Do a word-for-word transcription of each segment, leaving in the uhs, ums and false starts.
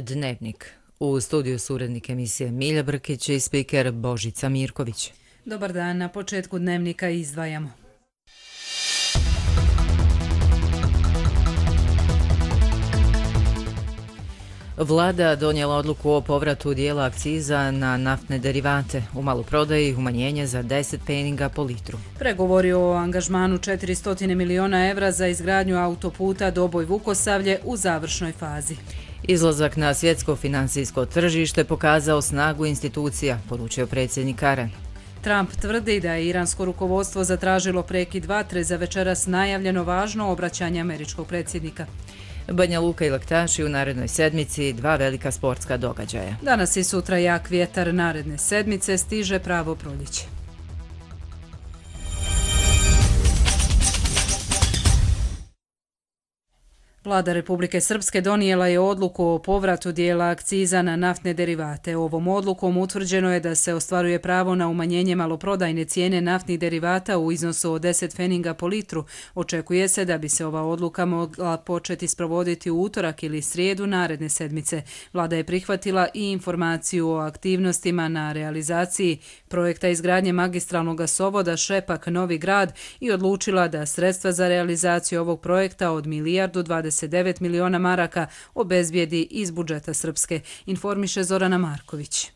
Dnevnik. U studiju su urednik emisije Milja Brkić i spiker Božica Mirković. Dobar dan, na početku Dnevnika izdvajamo. Vlada donijela odluku o povratu dijela akciza na naftne derivate. U maloprodaji umanjenje za deset pfeninga po litru. Pregovori o angažmanu četiristo miliona evra za izgradnju autoputa Doboj-Vukosavlje u završnoj fazi. Izlazak na svjetsko financijsko tržište pokazao snagu institucija, poručio predsjednik Aran. Trump tvrdi da je iransko rukovodstvo zatražilo prekid vatre za večeras najavljeno važno obraćanje američkog predsjednika. Banja Luka i Laktaši u narednoj sedmici, dva velika sportska događaja. Danas i sutra jak vjetar, naredne sedmice stiže pravo proljeće. Vlada Republike Srpske donijela je odluku o povratu dijela akciza na naftne derivate. Ovom odlukom utvrđeno je da se ostvaruje pravo na umanjenje maloprodajne cijene naftnih derivata u iznosu od deset pfeninga po litru. Očekuje se da bi se ova odluka mogla početi sprovoditi u utorak ili srijedu naredne sedmice. Vlada je prihvatila i informaciju o aktivnostima na realizaciji projekta izgradnje magistralnog gasovoda Šepak-Novi Grad i odlučila da sredstva za realizaciju ovog projekta od milijardu dvadeset devet miliona maraka obezbijedi iz budžeta Srpske, informiše Zorana Marković.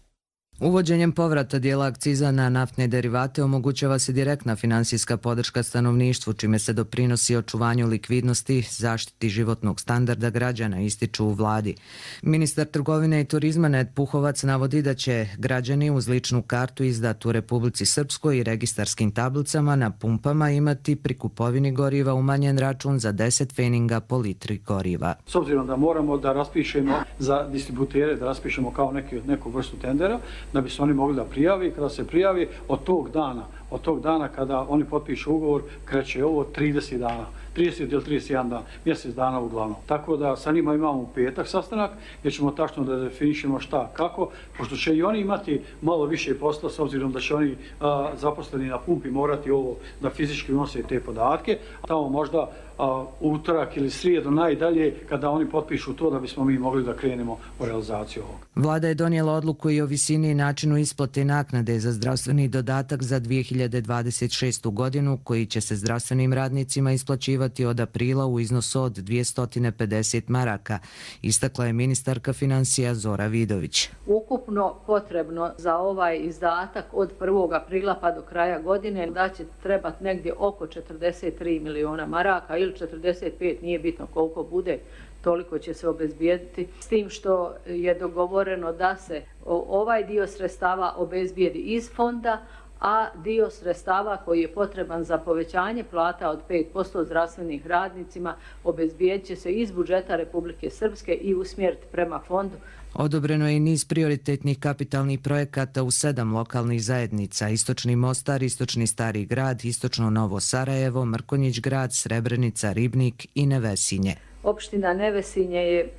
Uvođenjem povrata dijela akciza na naftne derivate omogućava se direktna finansijska podrška stanovništvu, čime se doprinosi očuvanju likvidnosti, zaštiti životnog standarda građana, ističu u vladi. Ministar trgovine i turizma Ned Puhovac navodi da će građani uz ličnu kartu izdatu u Republici Srpskoj i registarskim tablicama na pumpama imati pri kupovini goriva umanjen račun za deset pfeninga po litri goriva. S obzirom da moramo da raspišemo za distributere, da raspišemo kao neki, neku vrstu tendera, da bi se oni mogli da prijavi. Kada se prijavi, od tog dana, od tog dana kada oni potpišu ugovor, kreće ovo trideset dana. trideset ili trideset jedan dan, mjesec dana uglavnom. Tako da sa njima imamo u petak sastanak, gdje ćemo tačno da definišemo šta, kako, pošto će i oni imati malo više posla, s obzirom da će oni a, zaposleni na pumpi morati ovo da fizički unose te podatke. Tamo možda a, utorak ili srijedu najdalje kada oni potpišu to da bismo mi mogli da krenemo u realizaciju ovog. Vlada je donijela odluku i o visini i načinu isplate naknade za zdravstveni dodatak za dvije hiljade dvadeset šestu godinu, koji će se zdravstvenim radnicima isplaćivati od aprila u iznosu od dvjesto pedeset maraka, istakla je ministarka financija Zora Vidović. Ukupno potrebno za ovaj izdatak od prvog aprila pa do kraja godine da će trebati negdje oko četrdeset tri miliona maraka ili četrdeset pet, nije bitno koliko bude, toliko će se obezbijediti. S tim što je dogovoreno da se ovaj dio sredstava obezbijedi iz fonda, a dio sredstava koji je potreban za povećanje plata od pet posto zdravstvenih radnicima obezbijedit će se iz budžeta Republike Srpske i usmjeriti prema fondu. Odobreno je i niz prioritetnih kapitalnih projekata u sedam lokalnih zajednica: Istočni Mostar, Istočni Stari Grad, Istočno Novo Sarajevo, Mrkonjić Grad, Srebrenica, Ribnik i Nevesinje. Opština Nevesinje je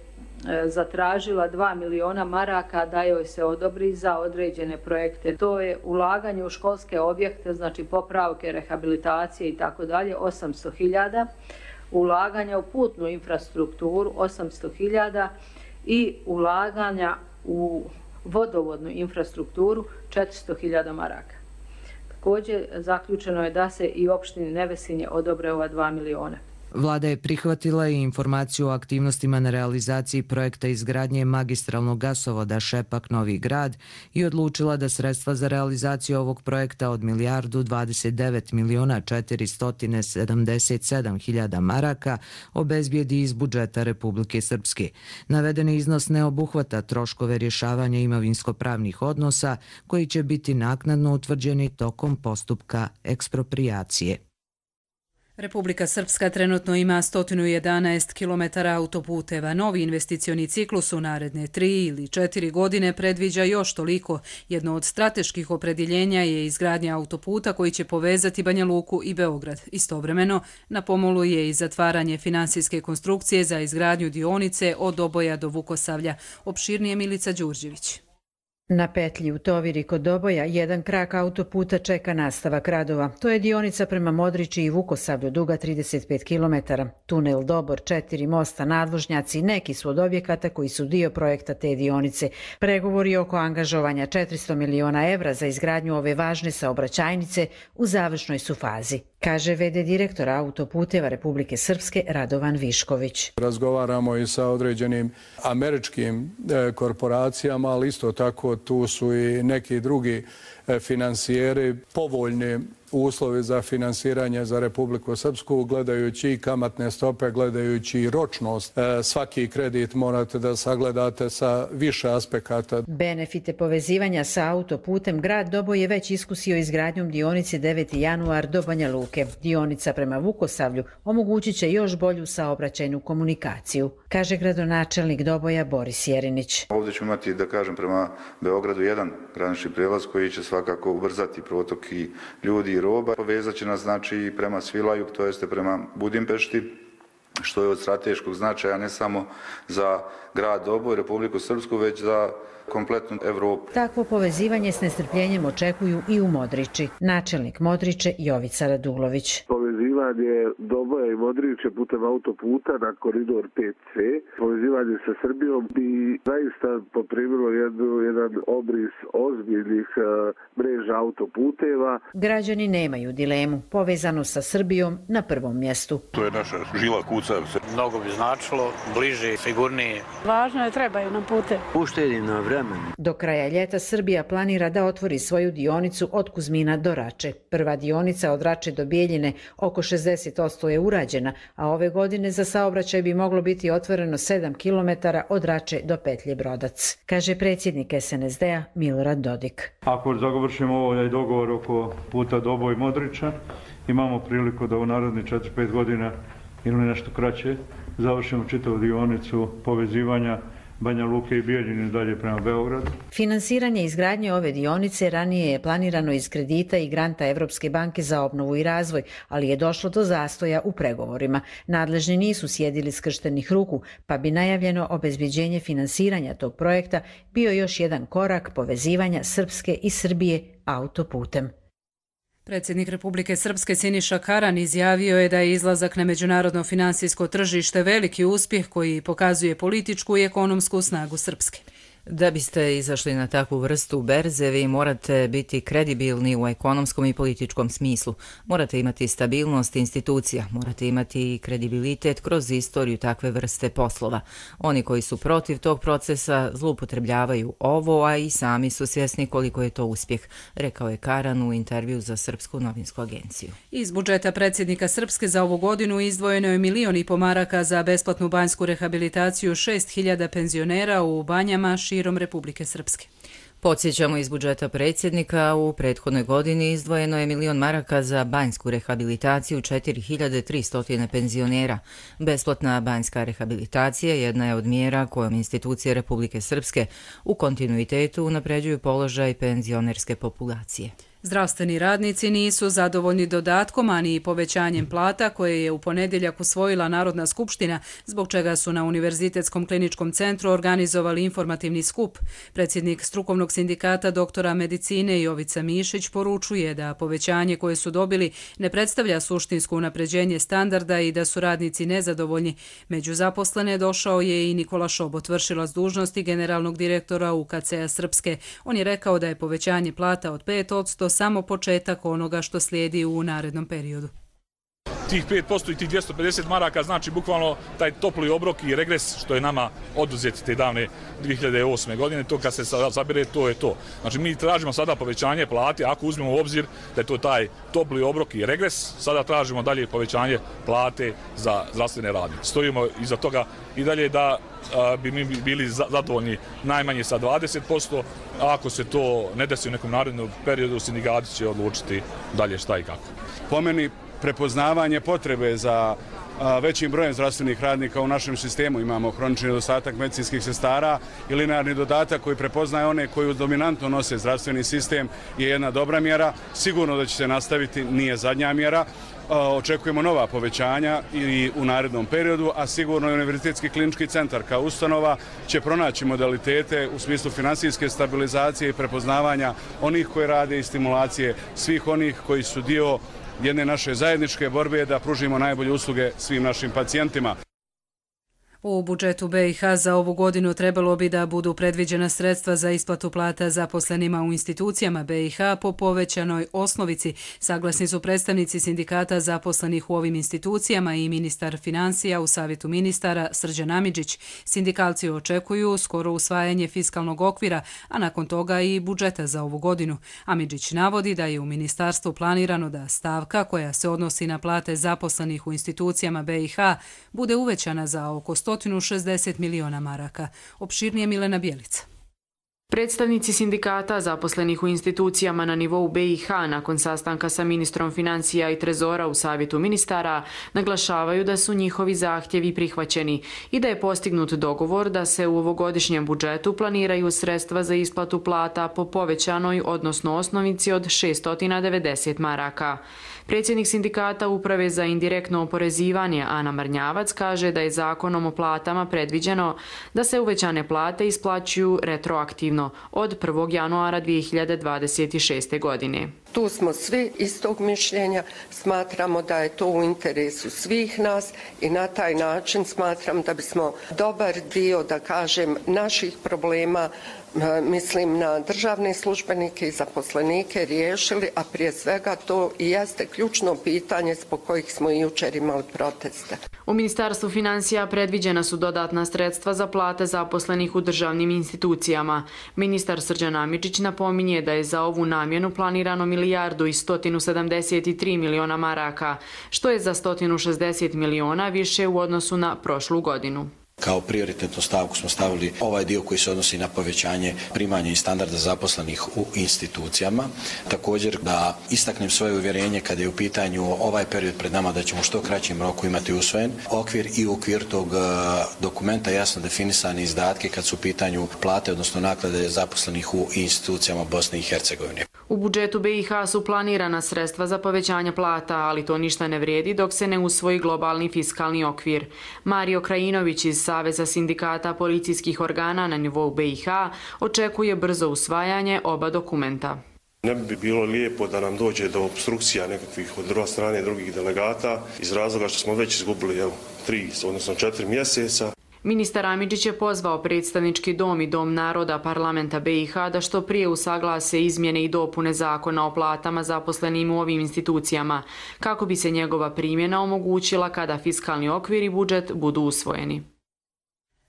zatražila dva miliona maraka da joj se odobri za određene projekte. To je ulaganje u školske objekte, znači popravke, rehabilitacije i tako dalje, osamsto hiljada, ulaganja u putnu infrastrukturu osamsto hiljada i ulaganja u vodovodnu infrastrukturu četiristo hiljada maraka. Također zaključeno je da se i opštini Nevesinje odobre ova dva miliona. Vlada je prihvatila i informaciju o aktivnostima na realizaciji projekta izgradnje magistralnog gasovoda Šepak-Novi Grad i odlučila da sredstva za realizaciju ovog projekta od milijardu dvadeset devet miliona četiristo sedamdeset sedam hiljada maraka obezbijedi iz budžeta Republike Srpske. Navedeni iznos ne obuhvata troškove rješavanja imovinsko-pravnih odnosa koji će biti naknadno utvrđeni tokom postupka eksproprijacije. Republika Srpska trenutno ima sto jedanaest kilometara autoputeva. Novi investicioni ciklus u naredne tri ili četiri godine predviđa još toliko. Jedno od strateških opredjeljenja je izgradnja autoputa koji će povezati Banja Luku i Beograd. Istovremeno, na pomolu je i zatvaranje finansijske konstrukcije za izgradnju dionice od Doboja do Vukosavlja. Opširnije Milica Đurđević. Na petlji u Toviri kod Doboja jedan krak autoputa čeka nastavak radova. To je dionica prema Modriči i Vukosavlju duga trideset pet kilometara. Tunel Dobor, četiri mosta, nadvožnjaci, neki su od objekata koji su dio projekta te dionice. Pregovori oko angažovanja četiristo miliona evra za izgradnju ove važne saobraćajnice u završnoj su fazi, kaže ve de direktora Autoputeva Republike Srpske Radovan Višković. Razgovaramo i sa određenim američkim korporacijama, ali isto tako tu su i neki drugi finansijeri, povoljni uslovi za finansiranje za Republiku Srpsku, gledajući i kamatne stope, gledajući i ročnost. Svaki kredit morate da sagledate sa više aspekata. Benefite povezivanja sa autoputem grad Doboj je već iskusio izgradnjom dionice deveti januar do Banja Luke. Dionica prema Vukosavlju omogućit će još bolju saobraćajnu komunikaciju, kaže gradonačelnik Doboja Boris Jerinić. Ovdje ćemo imati, da kažem, prema Beogradu jedan granični prijelaz koji će svakako ubrzati protok i ljudi i roba. Povezat će nas znači prema Svilaju, to jeste prema Budimpešti, što je od strateškog značaja ne samo za grad Doboj, Republiku Srpsku, već za kompletnu Evropu. Takvo povezivanje s nestrpljenjem očekuju i u Modriči. Načelnik Modriče Jovica Radulović. Povezivanje Doboja i Modriče putem autoputa na koridor pet ce, povezivanje sa Srbijom bi zaista poprimilo jednu, jedan obris ozbiljnih uh, mreža autoputeva. Građani nemaju dilemu. Povezano sa Srbijom na prvom mjestu. To je naša žila kucavica. Mnogo bi značilo, bliže, sigurnije. Važno je, trebaju nam pute. Uštedi na vremenu. Do kraja ljeta Srbija planira da otvori svoju dionicu od Kuzmina do Rače. Prva dionica od Rače do Bijeljine oko šezdeset posto je urađena, a ove godine za saobraćaj bi moglo biti otvoreno sedam kilometara od Rače do petlje Brodac, kaže predsjednik es en es de a Milorad Dodik. Ako završimo ovaj dogovor oko puta Doboj Modriča, imamo priliku da u narednih četiri pet godina ili nešto kraće završimo čitavu dionicu povezivanja Banja Luke i Bijeljine dalje prema Beogradu. Finansiranje izgradnje ove dionice ranije je planirano iz kredita i granta Evropske banke za obnovu i razvoj, ali je došlo do zastoja u pregovorima. Nadležni nisu sjedili skrštenih ruku, pa bi najavljeno obezbeđenje finansiranja tog projekta bio još jedan korak povezivanja Srpske i Srbije autoputem. Predsjednik Republike Srpske Siniša Karan izjavio je da je izlazak na međunarodno finansijsko tržište veliki uspjeh koji pokazuje političku i ekonomsku snagu Srpske. Da biste izašli na takvu vrstu berze, vi morate biti kredibilni u ekonomskom i političkom smislu. Morate imati stabilnost institucija, morate imati i kredibilitet kroz istoriju takve vrste poslova. Oni koji su protiv tog procesa zloupotrebljavaju ovo, a i sami su svjesni koliko je to uspjeh, rekao je Karan u intervju za Srpsku novinsku agenciju. Iz budžeta predsjednika Srpske za ovu godinu izdvojeno je milion i po maraka za besplatnu banjsku rehabilitaciju šest hiljada penzionera u banjama širom Republike Srpske. Podsjećamo, iz budžeta predsjednika u prethodnoj godini izdvojeno je milion maraka za banjsku rehabilitaciju četiri hiljade tristo penzionera. Besplatna banjska rehabilitacija jedna je od mjera kojom institucije Republike Srpske u kontinuitetu unapređuju položaj penzionerske populacije. Zdravstveni radnici nisu zadovoljni dodatkom, ani i povećanjem plata koje je u ponedjeljak usvojila Narodna skupština, zbog čega su na Univerzitetskom kliničkom centru organizovali informativni skup. Predsjednik strukovnog sindikata doktora medicine Jovica Mišić poručuje da povećanje koje su dobili ne predstavlja suštinsko unapređenje standarda i da su radnici nezadovoljni. Među zaposlene došao je i Nikola Šobot, vršilac dužnosti generalnog direktora u ka ce a Srpske. On je rekao da je povećanje plata od pet posto samo početak onoga što slijedi u narednom periodu. Tih pet posto i tih dvjesto pedeset maraka znači bukvalno taj topli obrok i regres što je nama oduzet te davne dvije hiljade osme godine. To kad se sabire, to je to. Znači mi tražimo sada povećanje plate, ako uzmemo u obzir da je to taj topli obrok i regres, sada tražimo dalje povećanje plate za zdravstvene radnike. Stojimo iza toga i dalje da a, bi mi bili zadovoljni najmanje sa dvadeset posto, a ako se to ne desi u nekom narednom periodu, sindikati će odlučiti dalje šta i kako. Po meni prepoznavanje potrebe za većim brojem zdravstvenih radnika u našem sistemu. Imamo hronični nedostatak medicinskih sestara i linearni dodatak koji prepoznaje one koji dominantno nose zdravstveni sistem je jedna dobra mjera. Sigurno da će se nastaviti, nije zadnja mjera. Očekujemo nova povećanja i u narednom periodu, a sigurno i Univerzitetski klinički centar kao ustanova će pronaći modalitete u smislu finansijske stabilizacije i prepoznavanja onih koji rade i stimulacije svih onih koji su dio jedne naše zajedničke borbe da pružimo najbolje usluge svim našim pacijentima. U budžetu B i H za ovu godinu trebalo bi da budu predviđena sredstva za isplatu plata zaposlenima u institucijama B i H po povećanoj osnovici. Saglasni su predstavnici sindikata zaposlenih u ovim institucijama i ministar financija u Savjetu ministara Srđan Amidžić. Sindikalci očekuju skoro usvajanje fiskalnog okvira, a nakon toga i budžeta za ovu godinu. Amidžić navodi da je u ministarstvu planirano da stavka koja se odnosi na plate zaposlenih u institucijama B i H bude uvećana za oko sto šezdeset miliona maraka. Opširnije Milena Bjelica. Predstavnici sindikata zaposlenih u institucijama na nivou B i H nakon sastanka sa ministrom financija i trezora u Savjetu ministara naglašavaju da su njihovi zahtjevi prihvaćeni i da je postignut dogovor da se u ovogodišnjem budžetu planiraju sredstva za isplatu plata po povećanoj, odnosno osnovici od šessto devedeset maraka. Predsjednik sindikata Uprave za indirektno oporezivanje Ana Marnjavac kaže da je zakonom o platama predviđeno da se uvećane plate isplaćuju retroaktivno od prvog januara dvije hiljade dvadeset šeste. godine. Tu smo svi istog mišljenja, smatramo da je to u interesu svih nas i na taj način smatram da bismo dobar dio, da kažem, naših problema, mislim na državne službenike i zaposlenike, riješili, a prije svega to i jeste ključno pitanje zbog kojih smo i jučer imali proteste. U Ministarstvu financija predviđena su dodatna sredstva za plate zaposlenih u državnim institucijama. Ministar Srđan Amidžić napominje da je za ovu namjenu planirano milijardu i sto sedamdeset tri miliona maraka, što je za sto šezdeset miliona više u odnosu na prošlu godinu. Kao prioritetnu stavku smo stavili ovaj dio koji se odnosi na povećanje primanja i standarda zaposlenih u institucijama. Također da istaknem svoje uvjerenje kada je u pitanju ovaj period pred nama da ćemo što kraćim roku imati usvojen okvir i u okviru tog dokumenta jasno definisane izdatke kad su u pitanju plate, odnosno naklade zaposlenih u institucijama Bosne i Hercegovine. U budžetu B i H su planirana sredstva za povećanje plata, ali to ništa ne vrijedi dok se ne usvoji globalni fiskalni okvir. Mario Krajinović iz Saveza sindikata policijskih organa na nivou B i H očekuje brzo usvajanje oba dokumenta. Ne bi bilo lijepo da nam dođe do obstrukcija nekakvih od druge strane drugih delegata iz razloga što smo već izgubili evo, tri, odnosno četiri mjeseca. Ministar Amidžić je pozvao predstavnički dom i dom naroda parlamenta B i H da što prije usaglase izmjene i dopune zakona o platama zaposlenim u ovim institucijama, kako bi se njegova primjena omogućila kada fiskalni okvir i budžet budu usvojeni.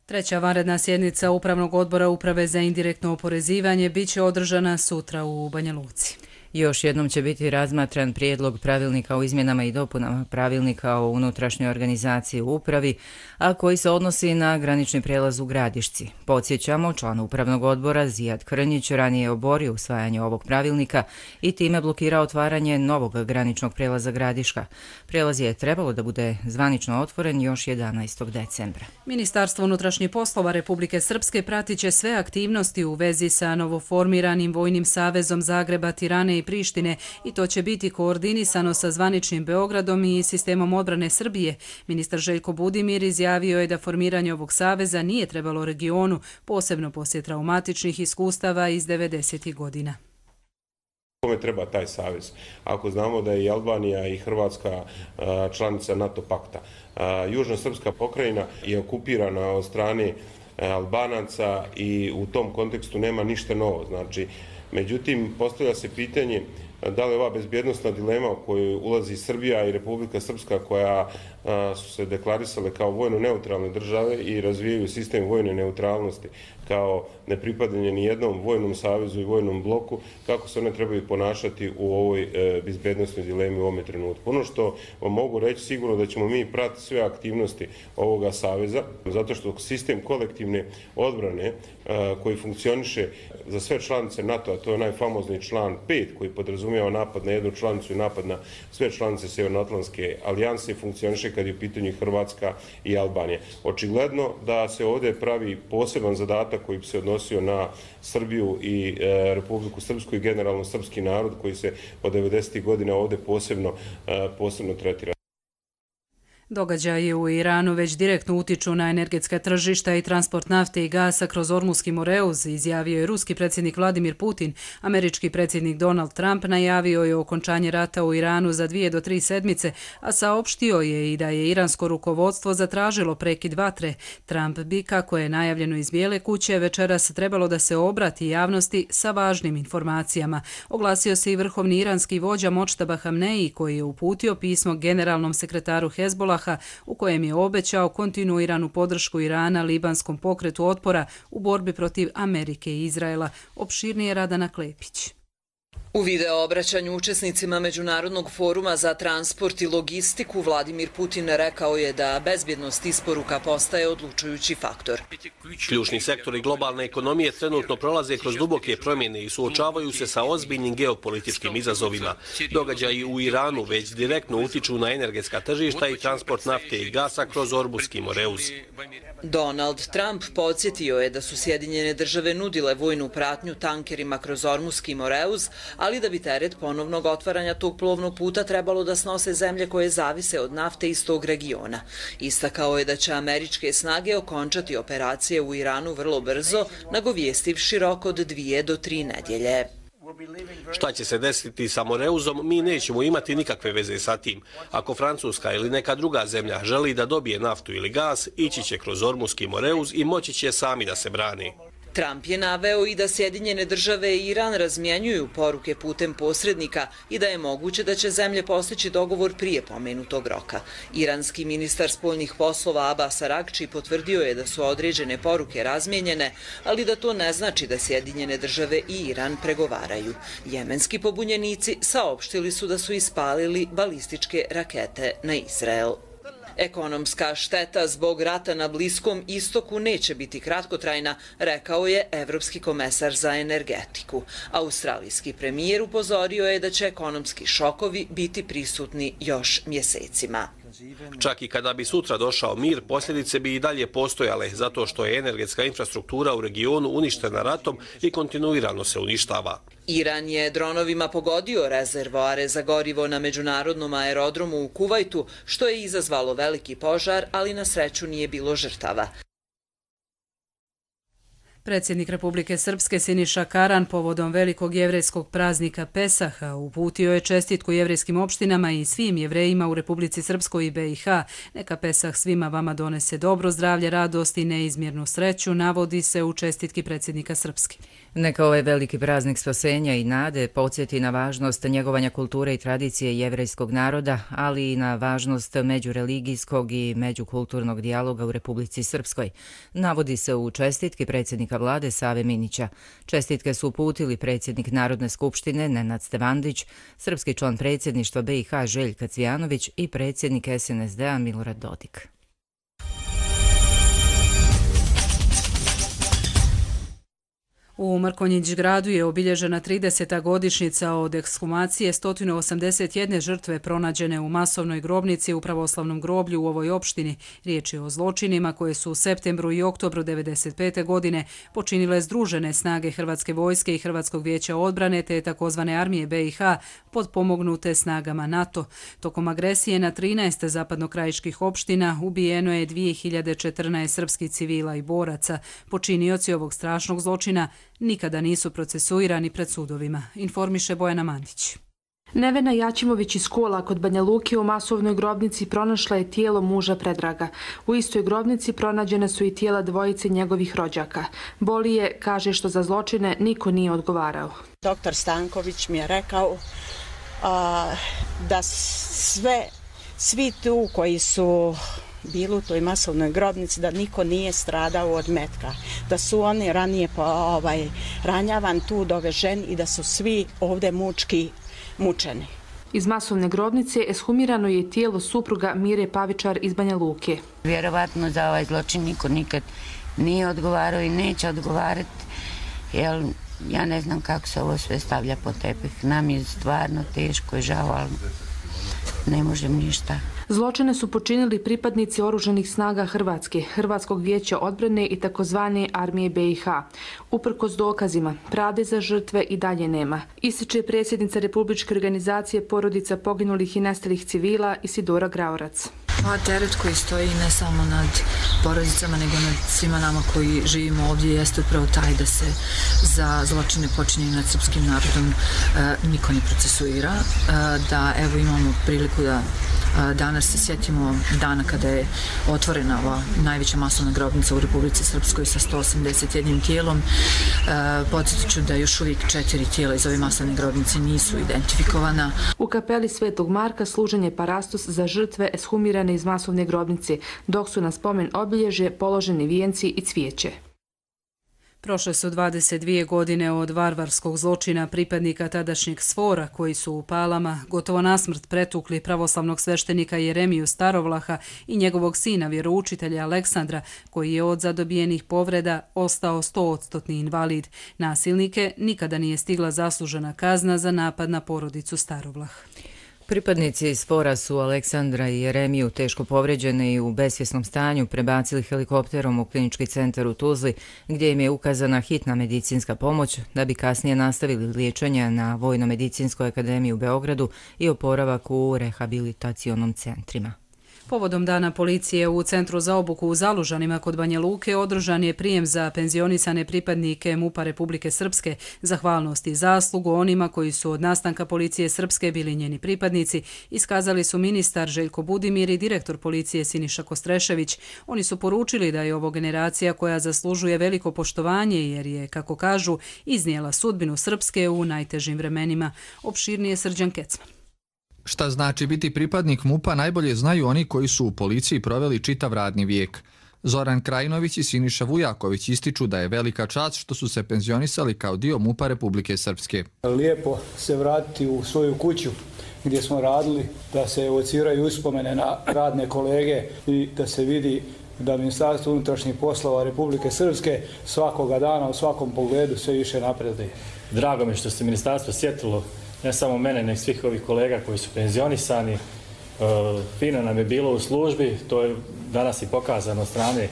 Treća vanredna sjednica Upravnog odbora Uprave za indirektno oporezivanje biće održana sutra u Banja Luci. Još jednom će biti razmatran prijedlog pravilnika o izmjenama i dopunama pravilnika o unutrašnjoj organizaciji u upravi, a koji se odnosi na granični prijelaz u Gradišci. Podsjećamo, član Upravnog odbora Zijad Krnjić ranije oborio usvajanje ovog pravilnika i time blokirao otvaranje novog graničnog prijelaza Gradiška. Prijelaz je trebalo da bude zvanično otvoren još jedanaestog decembra. Ministarstvo unutrašnjih poslova Republike Srpske pratit će sve aktivnosti u vezi sa novoformiranim Vojnim savezom Zagreba, Tirane i Prištine i to će biti koordinisano sa zvaničnim Beogradom i sistemom odbrane Srbije. Ministar Željko Budimir izjavio je da formiranje ovog saveza nije trebalo regionu, posebno poslije traumatičnih iskustava iz devedesetih godina. Kome treba taj savez? Ako znamo da je i Albanija i Hrvatska članica NATO pakta. Južno-srpska pokrajina je okupirana od strane Albanaca i u tom kontekstu nema ništa novo. Znači, međutim, postavlja se pitanje da li ova bezbjednostna dilema u kojoj ulazi Srbija i Republika Srpska koja su se deklarisale kao vojno neutralne države i razvijaju sistem vojne neutralnosti kao nepripadanje ni jednom vojnom savezu i vojnom bloku, kako se one trebaju ponašati u ovoj bezbjednostnoj dilemi u ovome trenutku. Ono što vam mogu reći sigurno da ćemo mi pratiti sve aktivnosti ovoga saveza, zato što sistem kolektivne odbrane koji funkcioniše za sve članice NATO, a to je onaj famozni član pet koji podrazumijeva napad na jednu članicu i napad na sve članice Sjevernoatlantske alijanse, funkcioniše kad je u pitanju Hrvatska i Albanija. Očigledno da se ovdje pravi poseban zadatak koji bi se odnosio na Srbiju i Republiku Srpsku i generalno srpski narod koji se od devedesetih godina ovdje posebno, posebno tretira. Događaji u Iranu već direktno utiču na energetska tržišta i transport nafte i gasa kroz Ormuski Moreuz, izjavio je ruski predsjednik Vladimir Putin. Američki predsjednik Donald Trump najavio je okončanje rata u Iranu za dvije do tri sedmice, a saopštio je i da je iransko rukovodstvo zatražilo prekid vatre. Trump bi, kako je najavljeno iz Bijele kuće, večeras trebalo da se obrati javnosti sa važnim informacijama. Oglasio se i vrhovni iranski vođa Močtaba Hamneji, koji je uputio pismo generalnom sekretaru Hezbollaha u kojem je obećao kontinuiranu podršku Irana libanskom pokretu otpora u borbi protiv Amerike i Izraela. Opširnije Radana Klepić. U video obraćanju učesnicima Međunarodnog foruma za transport i logistiku Vladimir Putin rekao je da bezbjednost isporuka postaje odlučujući faktor. Ključni sektori globalne ekonomije trenutno prolaze kroz duboke promjene i suočavaju se sa ozbiljnim geopolitičkim izazovima. Događaji u Iranu već direktno utiču na energetska tržišta i transport nafte i gasa kroz Ormuski Moreuz. Donald Trump podsjetio je da su Sjedinjene države nudile vojnu pratnju tankerima kroz Ormuski Moreuz, ali da bi teret ponovnog otvaranja tog plovnog puta trebalo da snose zemlje koje zavise od nafte iz tog regiona. Istakao je da će američke snage okončati operacije u Iranu vrlo brzo, nagovjestivši rok od dvije do tri nedjelje. Šta će se desiti sa Moreuzom, mi nećemo imati nikakve veze sa tim. Ako Francuska ili neka druga zemlja želi da dobije naftu ili gas, ići će kroz Ormuski Moreuz i moći će sami da se brani. Trump je naveo i da Sjedinjene države i Iran razmjenjuju poruke putem posrednika i da je moguće da će zemlje postići dogovor prije pomenutog roka. Iranski ministar spoljnih poslova Abbas Aragči potvrdio je da su određene poruke razmijenjene, ali da to ne znači da Sjedinjene države i Iran pregovaraju. Jemenski pobunjenici saopštili su da su ispalili balističke rakete na Izrael. Ekonomska šteta zbog rata na Bliskom istoku neće biti kratkotrajna, rekao je evropski komesar za energetiku. Australijski premijer upozorio je da će ekonomski šokovi biti prisutni još mjesecima. Čak i kada bi sutra došao mir, posljedice bi i dalje postojale, zato što je energetska infrastruktura u regionu uništena ratom i kontinuirano se uništava. Iran je dronovima pogodio rezervoare za gorivo na međunarodnom aerodromu u Kuvajtu, što je izazvalo veliki požar, ali na sreću nije bilo žrtava. Predsjednik Republike Srpske Siniša Karan povodom velikog jevrejskog praznika Pesaha uputio je čestitku jevrejskim opštinama i svim jevrejima u Republici Srpskoj i B i H. Neka Pesah svima vama donese dobro zdravlje, radost i neizmjernu sreću, navodi se u čestitki predsjednika Srpske. Neka ovaj veliki praznik spasenja i nade podsjeti na važnost njegovanja kulture i tradicije jevrejskog naroda, ali i na važnost međureligijskog i međukulturnog dijaloga u Republici Srpskoj, navodi se u čestitki predsjednika vlade Save Minića. Čestitke su uputili predsjednik Narodne skupštine Nenad Stevandić, srpski član predsjedništva B i H Željka Cvijanović i predsjednik S N S D-a Milorad Dodik. U Mrkonjić gradu je obilježena trideseta godišnjica od ekshumacije sto osamdeset jedne žrtve pronađene u masovnoj grobnici u pravoslavnom groblju u ovoj opštini. Riječ je o zločinima koje su u septembru i oktobru devedeset pete godine počinile združene snage Hrvatske vojske i Hrvatskog vijeća odbrane te takozvane armije B i H podpomognute snagama NATO. Tokom agresije na trinaest zapadnokrajiških opština ubijeno je dvije hiljade četrnaest srpskih civila i boraca. Počinioci ovog strašnog zločina nikada nisu procesuirani pred sudovima, informiše Bojana Mandić. Nevena Jačimović iz Kola kod Banja Luke u masovnoj grobnici pronašla je tijelo muža Predraga. U istoj grobnici pronađene su i tijela dvojice njegovih rođaka. Boli je, kaže, što za zločine niko nije odgovarao. Doktor Stanković mi je rekao a, da sve, svi tu koji su bili u toj masovnoj grobnici, da niko nije stradao od metka, da su oni ranije po, ovaj, ranjavan tu doveženi i da su svi ovdje mučki mučeni. Iz masovne grobnice eshumirano je tijelo supruga Mire Pavičar iz Banja Luke. Vjerovatno za ovaj zločin niko nikad nije odgovarao i neće odgovarati, jer ja ne znam kako se ovo sve stavlja po tepih. Nam je stvarno teško i žao, ali ne možem ništa. Zločine su počinili pripadnici oružanih snaga Hrvatske, Hrvatskog vijeća odbrane i takozvane armije B i H. Uprkos dokazima, pravde za žrtve i dalje nema, ističe predsjednica Republičke organizacije porodica poginulih i nestalih civila Isidora Graorac. Pa teret koji stoji ne samo nad porodicama, nego nad svima nama koji živimo ovdje jeste upravo taj da se za zločine počinjene nad srpskim narodom e, niko ne procesuira, e, da evo imamo priliku da e, danas se sjetimo dana kada je otvorena ova najveća masovna grobnica u Republici Srpskoj sa sto osamdeset jednim tijelom. E, podsjetit ću da još uvijek četiri tijela iz ove masovne grobnice nisu identifikovana. U kapeli Svetog Marka služen je parastos za žrtve eshumirane iz masovne grobnice, dok su na spomen obilježje položeni vijenci i cvijeće. Prošle su dvadeset dvije godine od varvarskog zločina pripadnika tadašnjeg Sfora koji su u Palama gotovo nasmrt pretukli pravoslavnog sveštenika Jeremiju Starovlaha i njegovog sina vjeroučitelja Aleksandra koji je od zadobijenih povreda ostao stoodstotni invalid. Nasilnike nikada nije stigla zaslužena kazna za napad na porodicu Starovlah. Pripadnici Sfora su Aleksandra i Jeremiju teško povređene i u besvjesnom stanju prebacili helikopterom u klinički centar u Tuzli, gdje im je ukazana hitna medicinska pomoć, da bi kasnije nastavili liječenje na Vojno-medicinskoj akademiji u Beogradu i oporavak u rehabilitacionom centrima. Povodom dana policije u Centru za obuku u Zalužanima kod Banja Luke održan je prijem za penzionisane pripadnike MUP-a Republike Srpske. Zahvalnost i zaslugu onima koji su od nastanka policije Srpske bili njeni pripadnici iskazali su ministar Željko Budimir i direktor policije Siniša Kostrešević. Oni su poručili da je ovo generacija koja zaslužuje veliko poštovanje jer je, kako kažu, iznijela sudbinu Srpske u najtežim vremenima. Opširnije Srđan Kecman. Šta znači biti pripadnik MUP-a najbolje znaju oni koji su u policiji proveli čitav radni vijek. Zoran Krajinović i Siniša Vujaković ističu da je velika čast što su se penzionisali kao dio MUP-a Republike Srpske. Lijepo se vratiti u svoju kuću gdje smo radili, da se evociraju uspomene na radne kolege i da se vidi da Ministarstvo unutrašnjih poslova Republike Srpske svakoga dana u svakom pogledu sve više napreduje. Drago mi što se ministarstvo sjetilo ne samo mene, nek svih ovih kolega koji su penzionisani. E, fino nam je bilo u službi, to je danas i pokazano od strane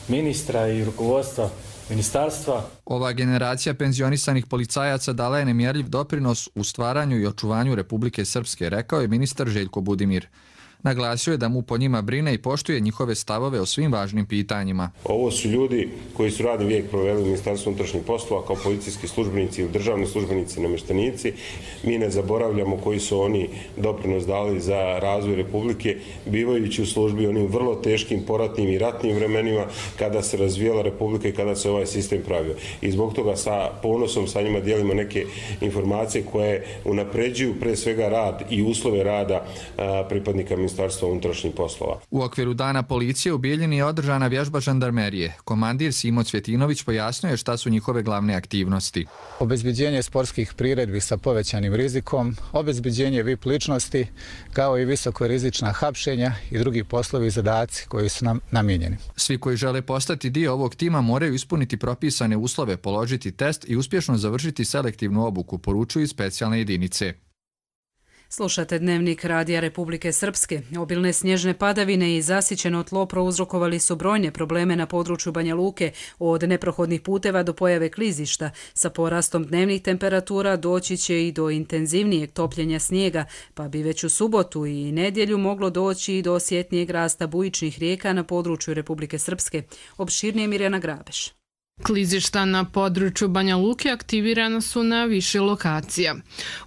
ministra i rukovodstva ministarstva. Ova generacija penzionisanih policajaca dala je nemjerljiv doprinos u stvaranju i očuvanju Republike Srpske, rekao je ministar Željko Budimir. Naglasio je da mu po njima brine i poštuje njihove stavove o svim važnim pitanjima. Ovo su ljudi koji su radni vijek proveli u Ministarstvu unutrašnjih poslova kao policijski službenici ili državni službenici i namještenici. Mi ne zaboravljamo koji su oni doprinos dali za razvoj Republike, bivajući u službi onim vrlo teškim poratnim i ratnim vremenima kada se razvijala Republika i kada se ovaj sistem pravio. I zbog toga sa ponosom sa njima dijelimo neke informacije koje unapređuju pre svega rad i uslove rada a, pripadnika Ministarstva unutrašnjih poslova. U okviru dana policije u Bijeljini je održana vježba žandarmerije. Komandir Simo Cvjetinović pojasnio je šta su njihove glavne aktivnosti. Obezbeđenje sportskih priredbi sa povećanim rizikom, obezbeđenje V I P ličnosti, kao i visokorizična hapšenja i drugi poslovi i zadaci koji su nam namijenjeni. Svi koji žele postati dio ovog tima moraju ispuniti propisane uslove, položiti test i uspješno završiti selektivnu obuku, poručuju specijalne jedinice. Slušate Dnevnik Radija Republike Srpske. Obilne snježne padavine i zasićeno tlo prouzrokovali su brojne probleme na području Banja Luke, od neprohodnih puteva do pojave klizišta. Sa porastom dnevnih temperatura doći će i do intenzivnijeg topljenja snijega, pa bi već u subotu i nedjelju moglo doći i do osjetnijeg rasta bujičnih rijeka na području Republike Srpske. Opširnije Mirjana Grabeš. Klizišta na području Banja Luke aktivirana su na više lokacija.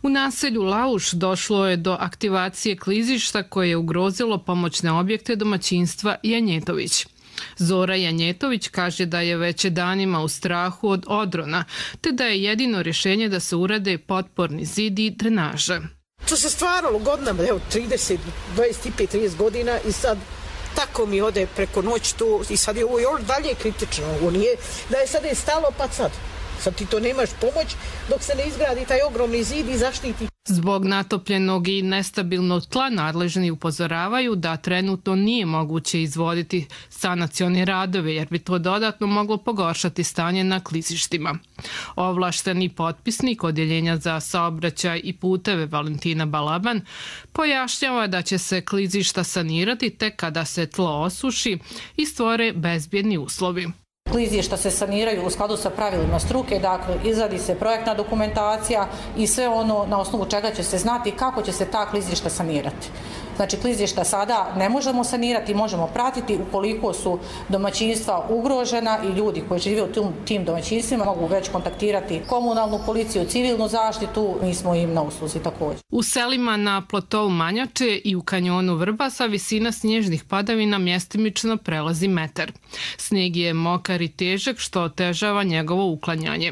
U naselju Lauš došlo je do aktivacije klizišta koje je ugrozilo pomoćne objekte domaćinstva Janjetović. Zora Janjetović kaže da je već danima u strahu od odrona, te da je jedino rješenje da se urade potporni zidi i drenaže. To se stvaralo godinama, evo trideset, dvadeset pet, trideset godina i sad tako mi ode preko noći tu i sad je ovo još dalje kritično. Ovo nije da je sad je stalo pa sad. Sad ti to nemaš pomoć dok se ne izgradi taj ogromni zid i zaštiti. Zbog natopljenog i nestabilnog tla nadležni upozoravaju da trenutno nije moguće izvoditi sanacione radove jer bi to dodatno moglo pogoršati stanje na klizištima. Ovlašteni potpisnik Odjeljenja za saobraćaj i puteve Valentina Balaban pojašnjava da će se klizišta sanirati tek kada se tlo osuši i stvore bezbjedni uslovi. Klizišta se saniraju u skladu sa pravilima struke, dakle izradi se projektna dokumentacija i sve ono na osnovu čega će se znati kako će se ta klizišta sanirati. Znači klizišta sada ne možemo sanirati, možemo pratiti ukoliko su domaćinstva ugrožena i ljudi koji žive u tim domaćinstvima mogu već kontaktirati komunalnu policiju, civilnu zaštitu, mi smo im na usluzi također. U selima na platovu Manjače i u kanjonu Vrbasa visina snježnih padavina mjestimično prelazi metar. Snijeg je mokar i težak što otežava njegovo uklanjanje.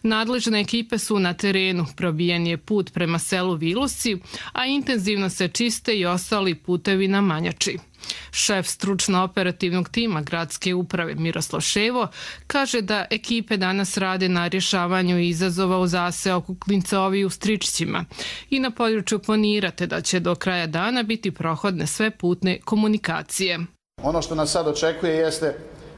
Nadležne ekipe su na terenu, probijen je put prema selu Vilosci, a intenzivno se čiste i ostali putevi na Manjači. Šef stručno-operativnog tima gradske uprave Miroslav Ševo kaže da ekipe danas rade na rješavanju izazova u zaseoku Klincovi u Stričićima i na području planirate da će do kraja dana biti prohodne sve putne komunikacije. Ono što nas sad očekuje jeste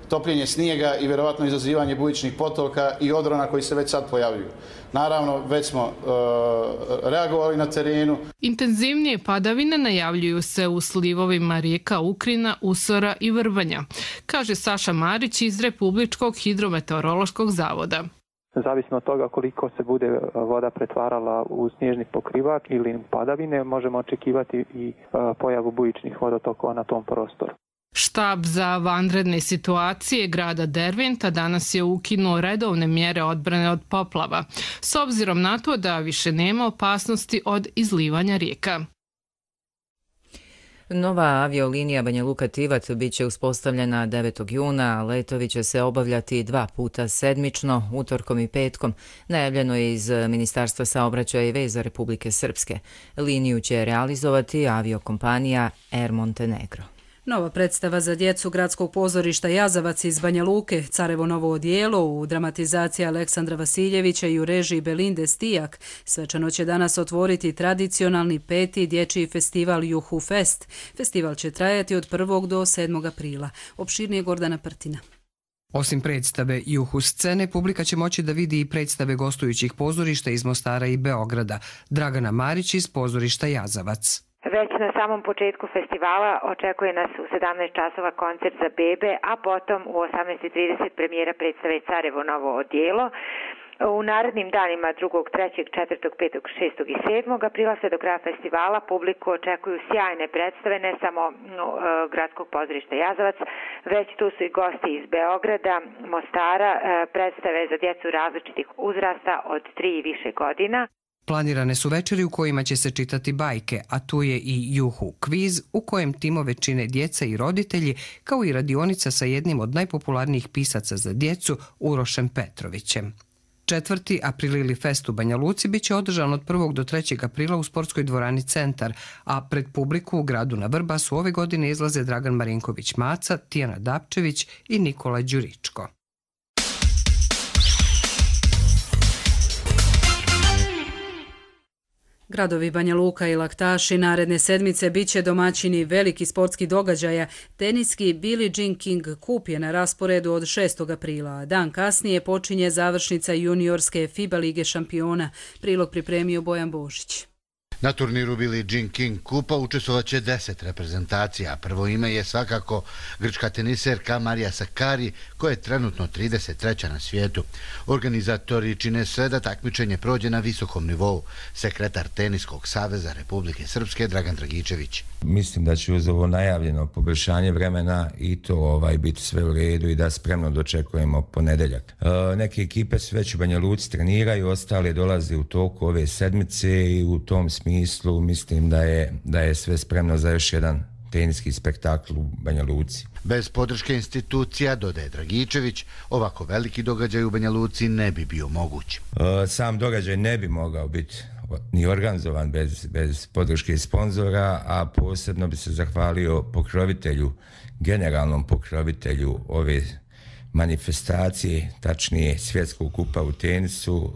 topljenje snijega i vjerovatno izazivanje bujičnih potoka i odrona koji se već sad pojavljuju. Naravno, već smo e, reagovali na terenu. Intenzivnije padavine najavljuju se u slivovima rijeka Ukrina, Usora i Vrbanja, kaže Saša Marić iz Republičkog hidrometeorološkog zavoda. Zavisno od toga koliko se bude voda pretvarala u snježni pokrivač ili padavine, možemo očekivati i pojavu bujičnih vodotokova na tom prostoru. Štab za vanredne situacije grada Derventa danas je ukinuo redovne mjere odbrane od poplava, s obzirom na to da više nema opasnosti od izlivanja rijeka. Nova aviolinija Banja Luka-Tivat bit će uspostavljena devetog juna, a letovi će se obavljati dva puta sedmično, utorkom i petkom, najavljeno je iz Ministarstva saobraćaja i veza Republike Srpske. Liniju će realizovati aviokompanija Air Montenegro. Nova predstava za djecu Gradskog pozorišta Jazavac iz Banja Luke, Carevo novo odijelo u dramatizaciji Aleksandra Vasiljevića i u režiji Belinde Stijak, svečano će danas otvoriti tradicionalni peti dječji festival Juhu Fest. Festival će trajati od prvog do sedmog aprila. Opširnije Gordana Prtina. Osim predstave Juhu scene, publika će moći da vidi i predstave gostujućih pozorišta iz Mostara i Beograda. Dragana Marić iz pozorišta Jazavac. Već na samom početku festivala očekuje nas u sedamnaest časova koncert za bebe, a potom u osamnaest i trideset premijera predstave Carevo novo odijelo. U narednim danima drugog, trećeg, četvrtog, petog, šestog i sedmog aprila sve do kraja festivala publiku očekuju sjajne predstave, ne samo no, Gradskog pozorišta Jazavac, već tu su i gosti iz Beograda, Mostara, predstave za djecu različitih uzrasta od tri i više godina. Planirane su večeri u kojima će se čitati bajke, a tu je i Juhu kviz u kojem timove čine djeca i roditelji, kao i radionica sa jednim od najpopularnijih pisaca za djecu, Urošem Petrovićem. Četvrti Aprilili fest u Banja Luci bit će održan od prvog do trećeg aprila u sportskoj dvorani Centar, a pred publiku u gradu na Vrbasu ove godine izlaze Dragan Marinković-Maca, Tijana Dapčević i Nikola Đuričko. Gradovi Banja Luka i Laktaši naredne sedmice bit će domaćini veliki sportskih događaja. Teniski Billie Jean King Cup je na rasporedu od šestog aprila, a dan kasnije počinje završnica juniorske FIBA lige šampiona. Prilog pripremio Bojan Božić. Na turniru Billie Jean King Kupa učestvovaće deset reprezentacija. Prvo ime je svakako grčka teniserka Marija Sakari, koja je trenutno trideset treća na svijetu. Organizatori čine sve da takmičenje prođe na visokom nivou. Sekretar Teniskog saveza Republike Srpske Dragan Dragičević. Mislim da će uz ovo najavljeno poboljšanje vremena i to ovaj biti sve u redu i da spremno dočekujemo ponedeljak. E, neke ekipe su već u Banja Luci treniraju, ostale dolaze u toku ove sedmice i u tom smislu mislim da je, da je sve spremno za još jedan teniski spektakl u Banja Luci. Bez podrške institucija, dodaje Dragičević, ovako veliki događaj u Banja Luci ne bi bio moguć. E, sam događaj ne bi mogao biti ni organizovan bez, bez podrške sponzora, a posebno bi se zahvalio pokrovitelju, generalnom pokrovitelju ove manifestacije, tačnije svjetskog kupa u tenisu,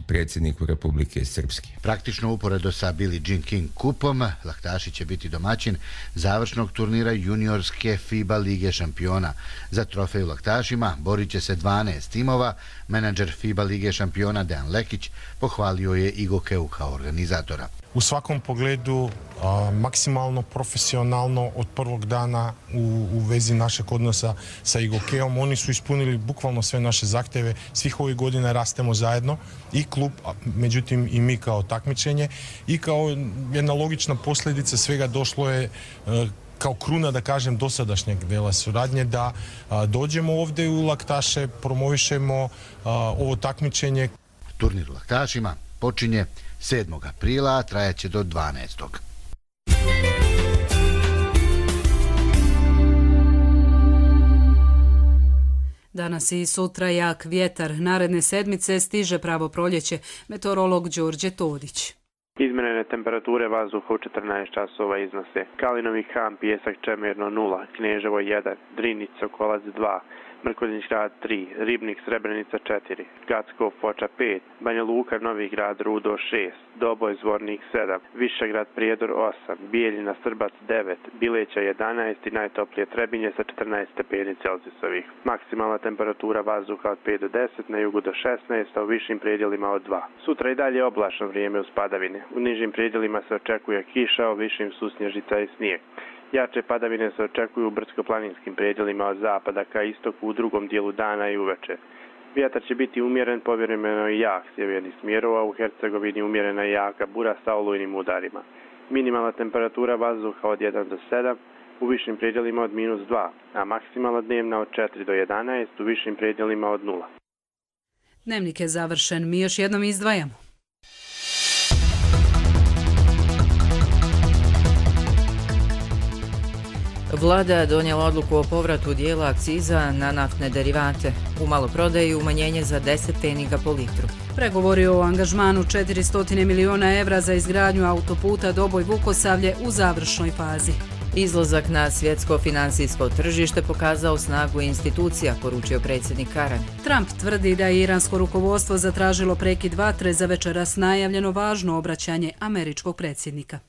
predsjedniku Republike Srpske. Praktično uporedo sa Billie Jean King kupom, Laktaši će biti domaćin završnog turnira juniorske FIBA Lige šampiona. Za trofej u Laktašima borit će se dvanaest timova. Menadžer FIBA Lige šampiona Dejan Lekić pohvalio je I G O K-u kao organizatora. U svakom pogledu a, maksimalno profesionalno od prvog dana u, u vezi našeg odnosa sa I G O K-om. Oni su ispunili bukvalno sve naše zahtjeve. Svih ovih godina rastemo zajedno i klub, a, međutim i mi kao takmičenje i kao jedna logična posljedica svega došlo je a, kao kruna, da kažem, dosadašnjeg dela suradnje, da a, dođemo ovdje u Laktaše, promovišemo a, ovo takmičenje. Turnir u Laktašima počinje sedmog aprila, a trajaće do dvanaestog Danas i sutra jak vjetar. Naredne sedmice stiže pravo proljeće. Meteorolog Đorđe Todić. Izmjerene temperature vazduha u četrnaest časova iznose: Kalinovi Han, Pijesak, Čemerno nula, Kneževo jedan, Drinić, Sokolac dva, Mrkonjić Grad tri, Ribnik, Srebrenica četiri, Gacko, Foča pet, Banja Luka, Novi Grad, Rudo šest, Doboj, Zvornik sedam, Višegrad, Prijedor osam, Bijeljina, Srbac devet, Bileća jedanaest i najtoplije Trebinje sa četrnaest stepeni Celzijusovih. Maksimalna temperatura vazduha od pet do deset, na jugu do šesnaest, a u višim predjelima od dva. Sutra i dalje oblačno vrijeme uz padavine. U nižim predjelima se očekuje kiša, a u višim susnježica i snijeg. Jače padavine se očekuju u brdsko-planinskim predjelima od zapada ka istoku u drugom dijelu dana i uveče. Vjetar će biti umjeren, povremeno i jak sjevernih smjerova, u Hercegovini umjerena i jaka bura sa olujnim udarima. Minimalna temperatura vazduha od jedan do sedam, u višim predjelima od minus dva, a maksimalna dnevna od četiri do jedanaest, u višim predjelima od nula. Dnevnik je završen, mi još jednom izdvajamo. Vlada donijela odluku o povratu dijela akciza na naftne derivate. U maloprodaji umanjenje za deset pfeniga po litru. Pregovori o angažmanu četiristo miliona evra za izgradnju autoputa Doboj-Vukosavlje u završnoj fazi. Izlazak na svjetsko finansijsko tržište pokazao snagu institucija, poručio predsjednik Karan. Trump tvrdi da je iransko rukovodstvo zatražilo prekid vatre za večeras najavljeno važno obraćanje američkog predsjednika.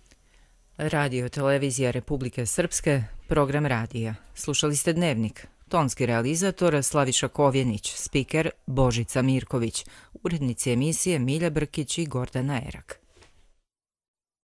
Radio Televizija Republike Srpske, program radija. Slušali ste Dnevnik. Tonski realizator Slaviša Kovjenić, spiker Božica Mirković, urednici emisije Milja Brkić i Gordana Erak.